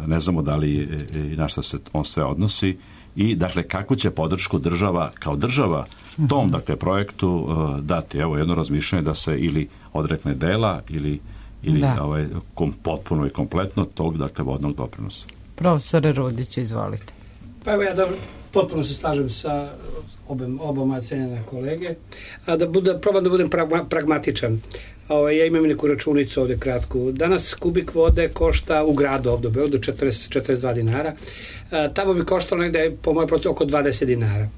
ne znamo da li i na šta se on sve odnosi i dakle kakvu će podršku država kao država tom dakle projektu dati. Evo jedno razmišljanje da se ili odrekne dela ili, ili ovaj, kom, potpuno i kompletno tog dakle vodnog doprinosa. Profesore Rudić, izvolite. Pa evo ja dobro, potpuno se slažem sa obem, oboma cenjena kolege, a da, bude, probam da budem pragma, pragmatičan. O, ja imam neku računicu ovde kratku. Danas kubik vode košta u gradu ovde u Beogradu četrdeset do četrdeset dva dinara. E, tamo bi koštalo negde po mojoj procenu oko dvadeset dinara.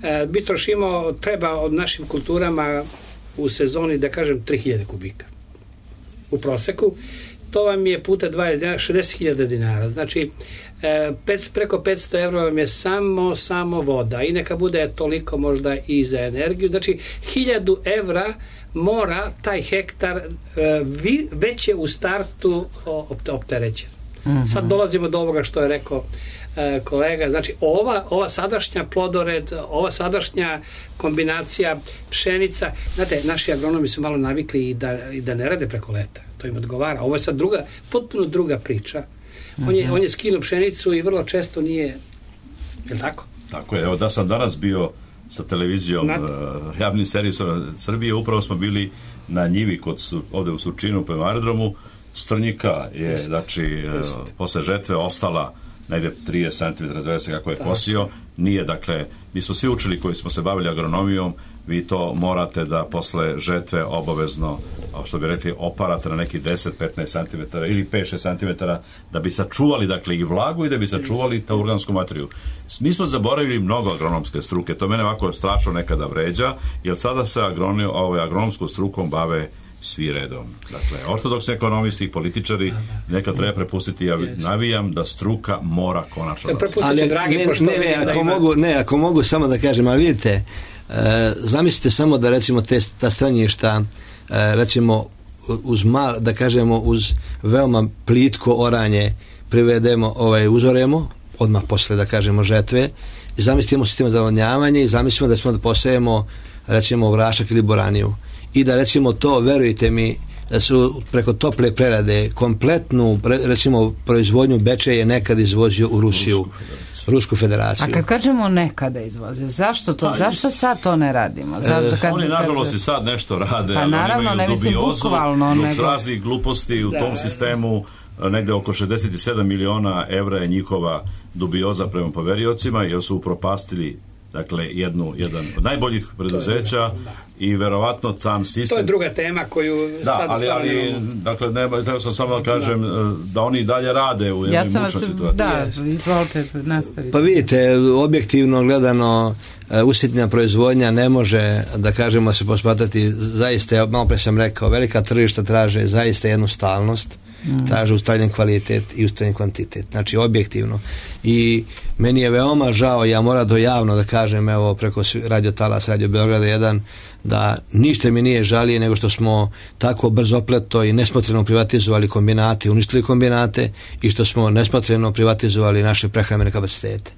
E, mi trošimo, treba od našim kulturama u sezoni, da kažem, tri hiljade kubika u proseku. To vam je puta dvadeset dinara, šezdeset hiljada dinara. Znači, e, pet, preko petsto evra vam je samo, samo voda. I neka bude toliko možda i za energiju. Znači, hiljadu evra mora taj hektar e, vi, već je u startu opterećen. Mm-hmm. Sad dolazimo do ovoga što je rekao e, kolega. Znači, ova, ova sadašnja plodored, ova sadašnja kombinacija pšenica, znate, naši agronomi su malo navikli i da, i da ne rade preko leta. To im odgovara. Ovo je sad druga, potpuno druga priča. Mm-hmm. On je, on je skinuo pšenicu i vrlo često nije, je li tako? Tako je. Evo da sam danas bio sa televizijom uh, javnim servisom Srbije, upravo smo bili na njivi kod su, ovde u Surčinu prema aerodromu. Strnjika je, Just. znači, Just. Uh, posle žetve ostala negde trideset centimetara, zavese kako je kosio. Nije, dakle, mi smo svi učili koji smo se bavili agronomijom, vi to morate da posle žetve obavezno, što bi rekli, oparate na neki deset do petnaest centimetara ili pet do šest centimetara da bi sačuvali, dakle, i vlagu i da bi sačuvali ta organsku materiju. Mi smo zaboravili mnogo agronomske struke, to mene ovako strašno nekada vređa, jer sada se agronom, ovaj, agronomskom strukom bave svi redom. Dakle, ortodoksni ekonomisti i političari neka treba prepustiti, ja navijam da struka mora konačno da se. Ali, dragi, ne, ne, ne, ako ima... mogu, ne, ako mogu samo da kažem, ali vidite, e, zamislite samo da recimo te, ta stranjišta, e, recimo uz mal, da kažemo uz veoma plitko oranje privedemo, ovaj, uzoremo, odmah posle, da kažemo, žetve, i zamislimo sistem za navodnjavanje i zamislimo da smo da posejemo recimo vrašak ili boraniju. I da recimo to, verujte mi, da su preko tople prerade kompletnu, recimo, proizvodnju Bečej je nekad izvozio u Rusiju, Rusku federaciju. Rusku federaciju. A kad kažemo nekada izvozio, zašto to, pa, zašto sad to ne radimo? Zato kad, oni nažalost kad... i sad nešto rade, pa, ali naravno, oni imaju dubiozu zbog nego... raznih gluposti u da, tom sistemu. Negde oko šezdeset sedam miliona evra je njihova dubioza prema poveriocima, jer su upropastili, dakle, jednu, jedan od najboljih preduzeća i verovatno sam sistem. To je druga tema koju da, sad ali, ali dakle, ne, treba sam samo da kažem da, da oni i dalje rade u jednoj ja mučnoj situaciji. Da, izvolite, nastavite. Pa vidite, objektivno gledano, usitnjena proizvodnja ne može, da kažemo, se posmatrati zaista, malo pre sam rekao, velika tržišta traže zaista jednu stalnost, mm. traže ustaljen kvalitet i ustaljen kvantitet, znači objektivno. I meni je veoma žao, ja moram to javno da kažem, evo preko Radio Talas, Radio Beograda jedan, da ništa mi nije žalije nego što smo tako brzopleto i nesmotreno privatizovali kombinate, uništili kombinate i što smo nesmotreno privatizovali naše prehrambene kapacitete.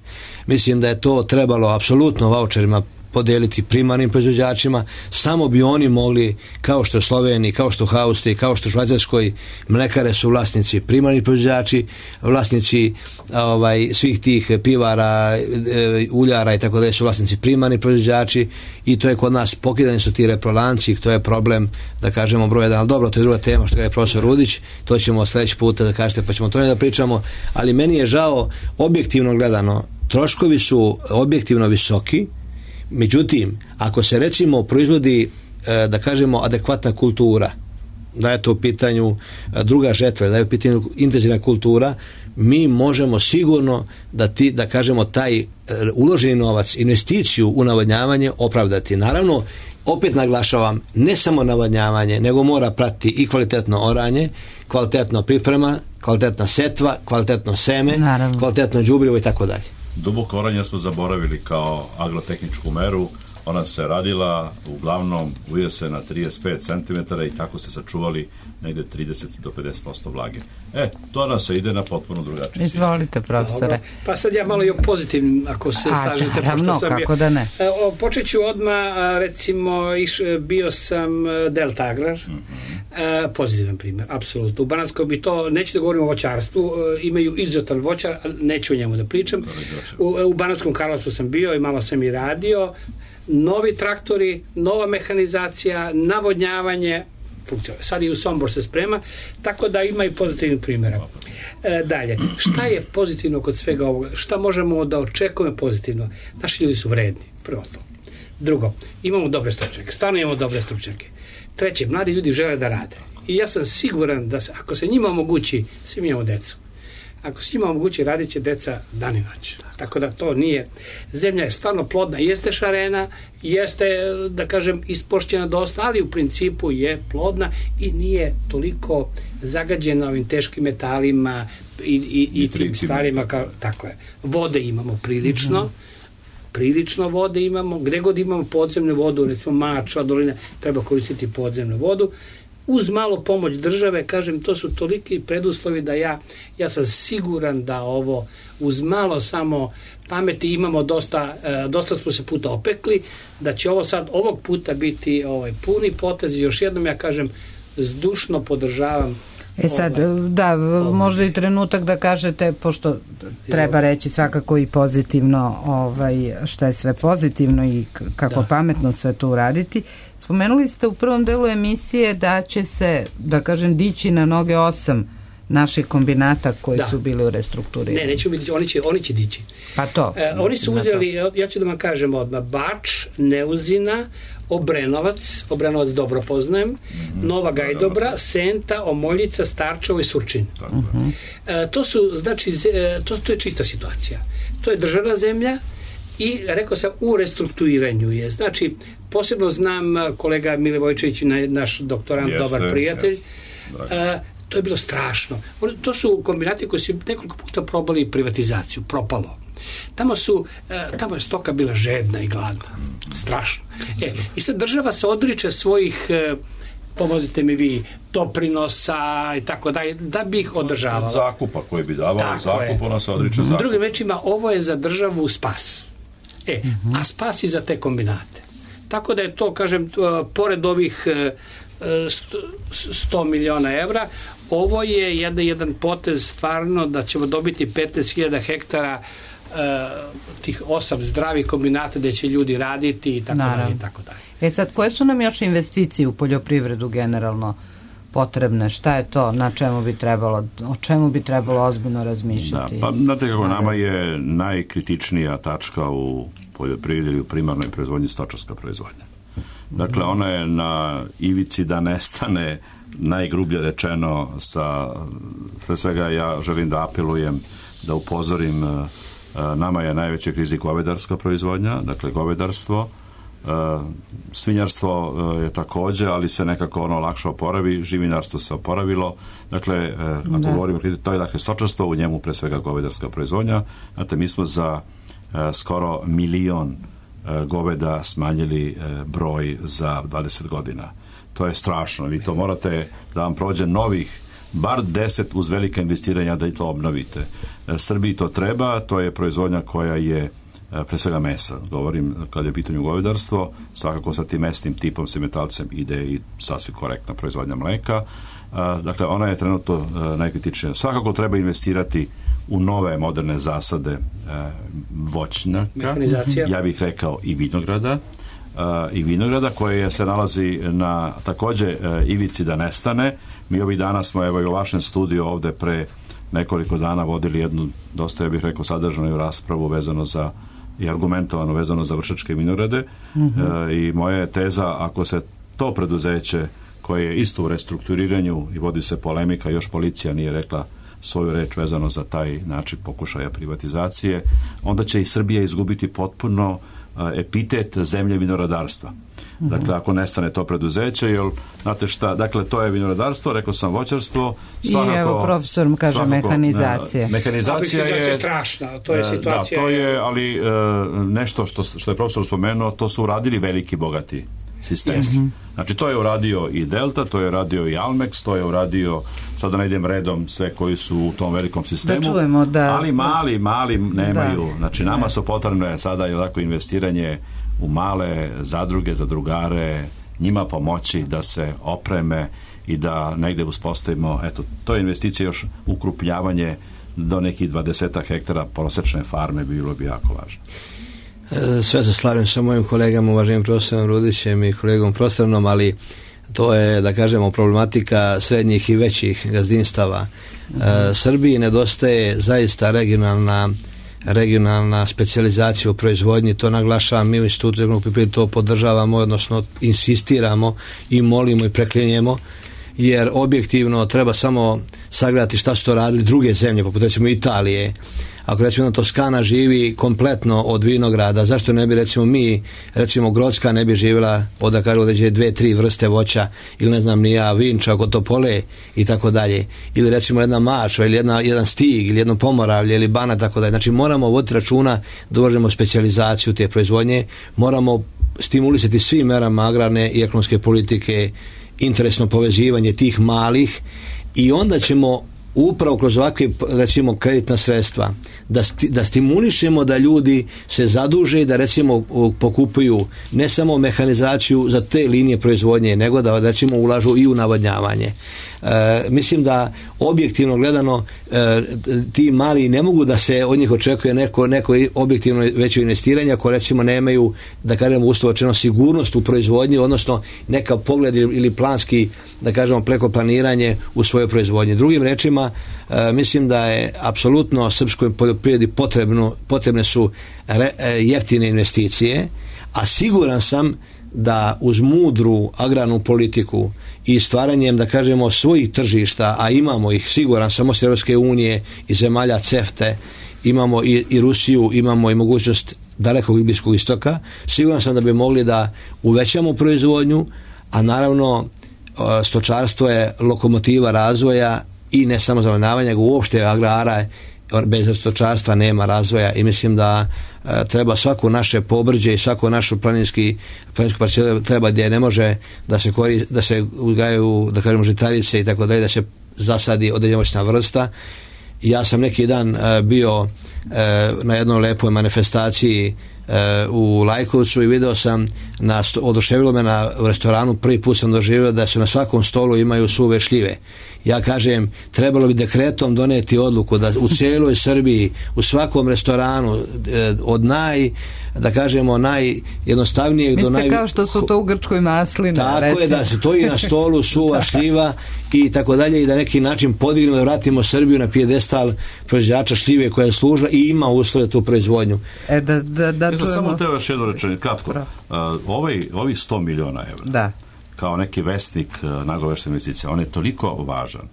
Mislim da je to trebalo apsolutno vaučerima podeliti primarnim proizvođačima, samo bi oni mogli, kao što u Sloveniji, kao što u Austriji, kao što u Švajcarskoj, mlekare su vlasnici primarni proizvođači, vlasnici ovaj, svih tih pivara, e, uljara i tako da su vlasnici primarni proizvođači i to je kod nas, pokidani su ti reprolanci, to je problem, da kažemo, broj jedan, ali dobro, to je druga tema što je profesor Rudić, to ćemo sljedeći puta da kažete, pa ćemo to ne da pričamo, ali meni je žao, objektivno gledano, troškovi su objektivno visoki. Međutim, ako se recimo proizvodi, da kažemo, adekvatna kultura, da je to u pitanju druga žetva, da je u pitanju intenzivna kultura, mi možemo sigurno da ti, da kažemo, taj uloženi novac, investiciju u navodnjavanje opravdati. Naravno, opet naglašavam, ne samo navodnjavanje, nego mora pratiti i kvalitetno oranje, kvalitetno priprema, kvalitetna setva, kvalitetno seme, naravno, kvalitetno đubrivo i tako dalje. Duboko oranje smo zaboravili kao agrotehničku meru. Ona se radila uglavnom u jesen na trideset pet centimetara i tako se sačuvali negde trideset do pedeset posto vlage. E, to nas se ide na potpuno drugačiji sistem. Izvolite, profesore. Dobro. Pa sad ja malo i o pozitivnim, ako se A, slažete. Naravno, pošto sam kako bio, da ne. O, počet ću odmah, recimo, iš, bio sam Delta Agrar, mm-hmm. e, pozitivan primjer, apsolutno. U Banatskoj bi to, neću da govorim o voćarstvu, e, imaju izuzetan voćar, neću o njemu da pričam. U, u Banatskom Karlovcu sam bio i malo sam i radio. Novi traktori, nova mehanizacija, navodnjavanje, funkcionalno. Sad i u Sombor se sprema, tako da ima i pozitivnih primjera. E, dalje, šta je pozitivno kod svega ovoga? Šta možemo da očekujemo pozitivno? Naši ljudi su vredni, prvo to. Drugo, imamo dobre stručnjake, stvarno imamo dobre stručnjake. Treće, mladi ljudi žele da rade. I ja sam siguran da se, ako se njima omogući, svi mi imamo decu, ako se njima omogući, radit će deca dan i noć. Tako da to nije. Zemlja je stvarno plodna, jeste šarena, jeste, da kažem, ispošćena dosta, ali u principu je plodna i nije toliko zagađena ovim teškim metalima i, i, i tim stvarima. Kao, tako je. Vode imamo prilično, mm-hmm. prilično vode imamo, gde god imamo podzemnu vodu, recimo Mačva, dolina, treba koristiti podzemnu vodu. Uz malo pomoć države, kažem, to su toliki preduslovi da ja, ja sam siguran da ovo uz malo samo pameti imamo dosta, dosta smo se puta opekli, da će ovo sad ovog puta biti ovaj, puni potez i još jednom ja kažem, zdušno podržavam. E sad, ovaj, da, možda i trenutak da kažete, pošto treba reći svakako i pozitivno, ovaj, šta je sve pozitivno i kako da. pametno sve to uraditi. Spomenuli ste u prvom delu emisije da će se, da kažem, dići na noge osam naših kombinata koji da. su bili u restrukturiranju. Ne, neće biti, oni će, oni će dići. Pa to. E, oni su uzeli, ja ću da vam kažem odmah, Bač, Neuzina, Obrenovac, Obrenovac dobro poznajem, mm-hmm. Nova Gajdobra, Senta, Omoljica, Starčevo i Surčin. Mm-hmm. E, to su, znači, to, to je čista situacija. To je državna zemlja i, rekao sam, u restrukturiranju je. Znači, posebno znam kolega Mile Vojčević, naš doktorant, jeste, dobar prijatelj, jeste, a, to je bilo strašno. To su kombinati koji su nekoliko puta probali privatizaciju, propalo. Tamo su, tamo je stoka bila žedna i gladna. Strašno. E, i sad država se odriče svojih, pomozite mi vi, doprinosa i tako dalje, da bi ih održavala. Zakupa koji bi davao, zakup, ona se odriče zakupa. Drugim rečima, ovo je za državu spas. E, a spas i za te kombinate. Tako da je to, kažem, pored ovih sto miliona evra. Ovo je jedan, jedan potez stvarno da ćemo dobiti petnaest hiljada hektara uh, tih osam zdravih kombinata gde će ljudi raditi i tako dalje i tako dalje. E sad, koje su nam još investicije u poljoprivredu generalno potrebne? Šta je to? Na čemu bi trebalo, o čemu bi trebalo ozbiljno razmišljati? Da, pa znate kako nama je najkritičnija tačka u poljoprivredi ili u primarnoj proizvodnji stočarska proizvodnja. Dakle, ona je na ivici da nestane, najgrublje rečeno, sa, pre svega ja želim da apelujem, da upozorim, nama je najveća kriza govedarska proizvodnja, dakle govedarstvo, svinjarstvo je takođe, ali se nekako ono lakše oporavi, živinarstvo se oporavilo, dakle, ako da. govorimo, to je dakle stočarstvo, u njemu pre svega govedarska proizvodnja, znate, mi smo za skoro milion goveda smanjili broj za dvadeset godina. To je strašno. Vi to morate da vam prođe novih bar deset uz velika investiranja da i to obnovite. Srbiji to treba, to je proizvodnja koja je pre svega mesa. Govorim kad je u pitanju govedarstvo, svakako sa tim mesnim tipom semetalcem ide i sasvim korektna proizvodnja mleka. Dakle, ona je trenutno najkritičnija. Svakako treba investirati u nove moderne zasade e, voćnjaka, mehanizacija. Ja bih rekao i vinograda, e, i vinograda koje se nalazi na takođe e, ivici da nestane. Mi ovih dana smo, evo i u vašem studiju ovde pre nekoliko dana vodili jednu, dosta ja bih rekao sadržanu raspravu vezano za i argumentovano vezano za vršačke vinograde. Mm-hmm. e, i moja je teza, ako se to preduzeće koje je isto u restrukturiranju i vodi se polemika, još policija nije rekla svoju reč vezano za taj način pokušaja privatizacije, onda će i Srbija izgubiti potpuno uh, epitet zemlje vinoradarstva. Mm-hmm. Dakle, ako nestane to preduzeće, jer, znate šta, dakle, to je vinoradarstvo, rekao sam voćarstvo, svakako... I evo, profesor kaže svakako, mehanizacija. Ne, mehanizacija je... je strašna, to je situacija... Da, to je, ali uh, nešto što, što je profesor spomenuo, to su uradili veliki bogati sistem. Mm-hmm. Znači, to je uradio i Delta, to je uradio i Almex, to je uradio, sad da ne idem redom, sve koji su u tom velikom sistemu, da čujemo, da, ali mali, mali nemaju. Da. Znači, nama su potrebne sada je lako investiranje u male zadruge, zadrugare, njima pomoći da se opreme i da negde uspostavimo, eto, to je investicija još ukrupnjavanje do nekih dvadeset hektara prosečne farme bi bilo bi jako važno. Sve se slavim sa mojim kolegama, uvaženim profesorom Rudićem i kolegom Prostranom, ali to je, da kažemo, problematika srednjih i većih gazdinstava. Mm-hmm. E, Srbiji nedostaje zaista regionalna regionalna specijalizacija u proizvodnji, to naglašavam, mi u Institutu za ekonomsku poljoprivredu to podržavamo, odnosno insistiramo i molimo i preklinjemo, jer objektivno treba samo sagledati šta su to radili druge zemlje, poput recimo Italije. Ako recimo Toskana živi kompletno od vinograda, zašto ne bi recimo mi, recimo Grocka ne bi živjela od da kažu određe dve, tri vrste voća, ili ne znam ni ja, vinča, oko Topole i tako dalje, ili recimo jedna Mačva ili jedna, jedan Stig ili jedno Pomoravlje ili Banat, tako dalje. Znači moramo voditi računa da uvažemo specijalizaciju te proizvodnje, moramo stimulisati svim merama agrarne i ekonomske politike interesno povezivanje tih malih i onda ćemo upravo kroz ovakve, recimo, kreditna sredstva da, sti, da stimulišemo da ljudi se zaduže i da recimo pokupuju ne samo mehanizaciju za te linije proizvodnje, nego da recimo ulažu i u navodnjavanje. E, mislim da objektivno gledano e, ti mali ne mogu da se od njih očekuje neko, neko objektivno veće investiranje ako recimo nemaju, da kažemo uslovno sigurnost u proizvodnji, odnosno neka pogled ili planski, da kažemo, preko planiranje u svojoj proizvodnji. Drugim rečima, e, mislim da je apsolutno srpskoj poljoprivredi potrebno, potrebne su re, e, jeftine investicije, a siguran sam da uz mudru agrarnu politiku i stvaranjem, da kažemo, svojih tržišta, a imamo ih, siguran sam, osim Europske unije i zemalja CEFTE, imamo i, i Rusiju, imamo i mogućnost dalekog i Bliskog istoka, siguran sam da bi mogli da uvećamo proizvodnju, a naravno stočarstvo je lokomotiva razvoja i ne samo zavodnjavanja, nego uopšte agrara, bez stočarstva nema razvoja i mislim da e, treba svako naše pobrđe i svako našu planinski planinsku parcelu treba gdje ne može da se kori, da se uzgajaju, da kažemo, žitarice i tako dalje, da se zasadi određena voćna vrsta. Ja sam neki dan e, bio e, na jednoj lepoj manifestaciji u Lajkovcu i video sam, na, oduševilo me na u restoranu, prvi put sam doživio da se na svakom stolu imaju suve šljive. Ja kažem, trebalo bi dekretom doneti odluku da u cijeloj Srbiji, u svakom restoranu, od naj, da kažemo, najjednostavnijeg do naj... Mislite kao što su to u Grčkoj masline. Tako recimo. Je, da se to i na stolu suva šljiva i tako dalje, i da neki način podignemo, da vratimo Srbiju na pijedestal proizvođača šljive koja je služila i ima uslove tu proizvodnju. E, da, da, da ja sam samo teo još jedno rečenje, kratko. Uh, ovaj, ovi sto miliona evra, da, kao neki vesnik uh, nagoveštene investicije, on je toliko važan.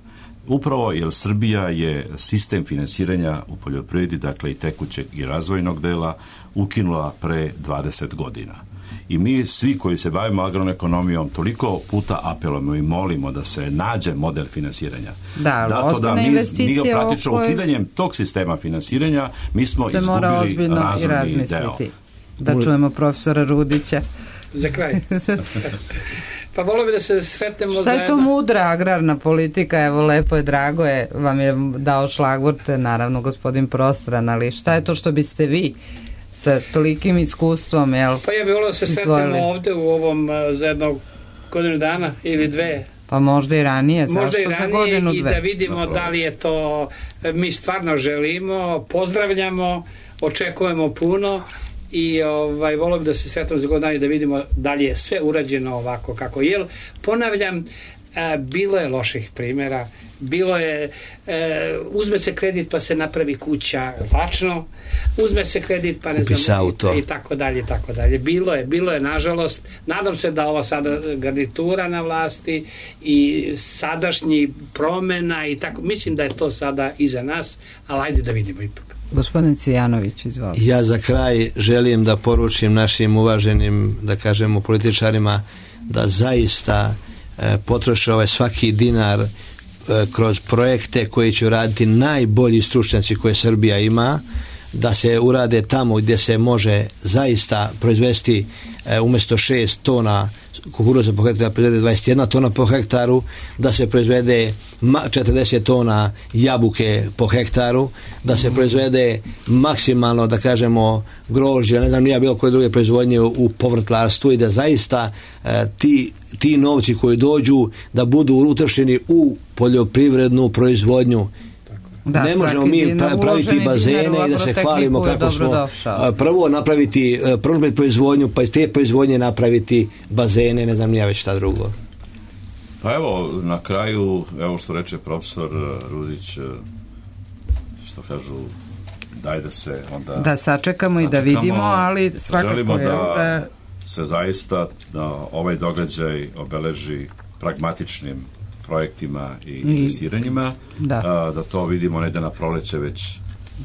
Upravo jer Srbija je sistem finansiranja u poljoprivredi, dakle i tekućeg i razvojnog dela, ukinula pre dvadeset godina. I mi svi koji se bavimo agroekonomijom toliko puta apelujemo i molimo da se nađe model finansiranja. Da, Dato da mi, mi praktično koje... ukidanjem tog sistema finansiranja mi smo se izgubili razvojni deo. Da čujemo profesora Rudića. Za kraj. Pa volio bi da se sretnemo zajedno. Šta je to mudra agrarna politika? Evo, lepo je, drago je, vam je dao šlagvorte, naravno gospodin Prostran, ali šta je to što biste vi sa tolikim iskustvom, jel? Pa ja bih volio da se sretnemo ovde u ovom za jednog godinu dana ili dve. Pa možda i ranije, možda zašto i ranije, za godinu dve? I da vidimo da li je to, mi stvarno želimo, pozdravljamo, očekujemo puno. I ovaj, volio bi da se sretamo za godinu dana i da vidimo da li je sve urađeno ovako kako je. Ponavljam, a, bilo je loših primjera, bilo je, e, uzme se kredit pa se napravi kuća lačno, uzme se kredit pa ne znam, i, i tako dalje, i tako dalje. Bilo je, bilo je, nažalost. Nadam se da ova sada garnitura na vlasti i sadašnji promena i tako, mislim da je to sada iza nas, ali ajde da vidimo ipak. Gospodin Cvijanović, izvolite. Ja za kraj želim da poručim našim uvaženim, da kažemo, političarima da zaista e, potroše ovaj svaki dinar e, kroz projekte koji će raditi najbolji stručnjaci koje Srbija ima, da se urade tamo gdje se može zaista proizvesti e, umjesto šest tona kukuruza po hektaru proizvede dvadeset jedna tona po hektaru, da se proizvede četrdeset tona jabuke po hektaru, da se proizvede maksimalno, da kažemo, grožđe, ne znam, nije bilo koje druge proizvodnje u povrtlarstvu i da zaista e, ti, ti novci koji dođu da budu utrošeni u poljoprivrednu proizvodnju. Da, ne možemo mi praviti bazene i da se hvalimo kako smo došao. Prvo napraviti prvo proizvodnju, pa iz te proizvodnje napraviti bazene, ne znam nija već šta drugo. Pa evo, na kraju, evo što reče profesor Rudić, što kažu, daj da se onda da sačekamo, sačekamo i da vidimo, ali svakako želimo je da, da se zaista da ovaj događaj obeleži pragmatičnim projektima i investiranjima, da, a, da to vidimo ne da na proleće već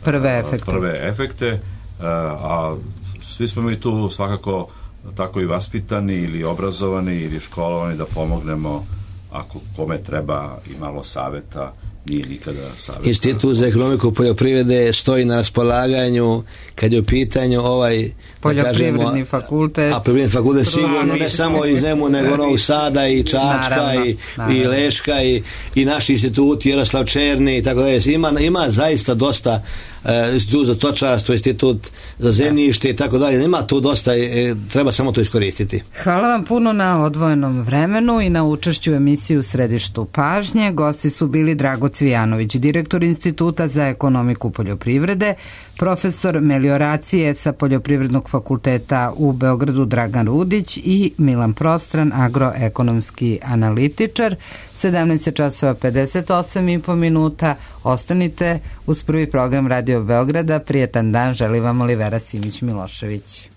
prve efekte, prve efekte a, a svi smo mi tu svakako tako i vaspitani ili obrazovani ili školovani da pomognemo ako kome treba i malo saveta, nije nikada saveta. Institut za ekonomiku poljoprivrede stoji na raspolaganju kad je u pitanju ovaj poljoprivredni kažemo, fakultet. A poljoprivredni fakultet sigurno ne samo iz Nemu nego Novog Sada i Čačka naravno, i, naravno. i Leška i, i naši instituti Jaroslav Černi i tako dalje. Ima, ima zaista dosta uh, institut za točarstvo, institut za zemljište i tako dalje. Ima tu dosta, e, treba samo to iskoristiti. Hvala vam puno na odvojenom vremenu i na učešću u emisiji U središtu pažnje. Gosti su bili Drago Cvijanović, direktor Instituta za ekonomiku poljoprivrede, profesor melioracije sa Poljoprivrednog fakulteta u Beogradu Dragan Rudić i Milan Prostran, agroekonomski analitičar. sedamnaest časova pedeset osam i po minuta. Ostanite uz prvi program Radio Beograda. Prijetan dan želi vam Olivera Simić Milošević.